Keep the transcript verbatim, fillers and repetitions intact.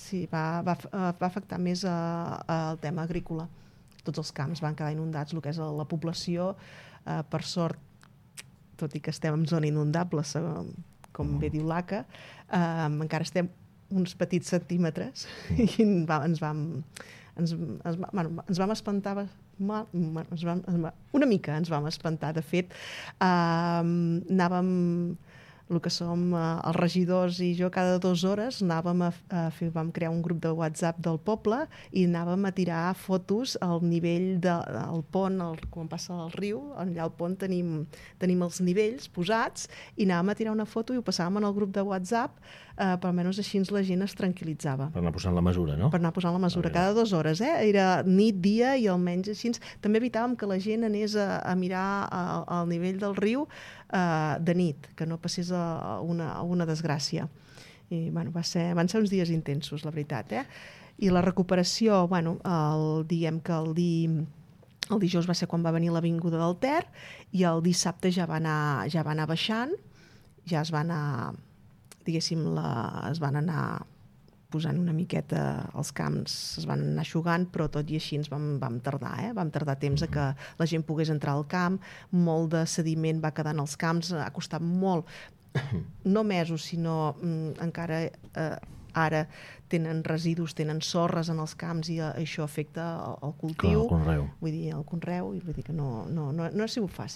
sí, va, va, va afectar més el tema agrícola. Tots els camps van quedar inundats, el que és la població, eh, per sort, tot i que estem en zona inundable, com bé diu l'A C A, eh, encara estem uns petits centímetres i va, ens vam ens, ens, bueno, ens vam espantar mal, ens vam, una mica ens vam espantar. De fet, eh, anàvem, el que som eh, els regidors i jo, cada dues hores anàvem a, a fer, vam crear un grup de WhatsApp del poble i anàvem a tirar fotos al nivell del de, pont, el, quan passa el riu, allà al pont tenim, tenim els nivells posats i anàvem a tirar una foto i ho passàvem en el grup de WhatsApp, eh, per almenys així la gent es tranquil·litzava. Per anar posant la mesura, no? Per anar posant la mesura, cada dues hores, eh? Era nit, dia i almenys així. També evitàvem que la gent anés a, a mirar al nivell del riu eh, de nit, que no passés a una, a una desgràcia. I, bueno, va ser, van ser uns dies intensos, la veritat, eh? I la recuperació, bueno, el, diguem que el, di, el dijous va ser quan va venir l'avinguda del Ter i el dissabte ja va anar, ja va anar baixant, ja es va anar, diguéssim, la, es van anar posant una miqueta els camps, es van anar eixugant, però tot i així ens vam, vam tardar, eh? Vam tardar temps a que la gent pogués entrar al camp, molt de sediment va quedar en els camps, ha costat molt, no mesos, sinó mm, encara eh, ara tenen residus, tenen sorres en els camps i això afecta el cultiu. Clar, el conreu. Vull dir, el conreu, i vull dir que no, no, no, no ha sigut fàcil.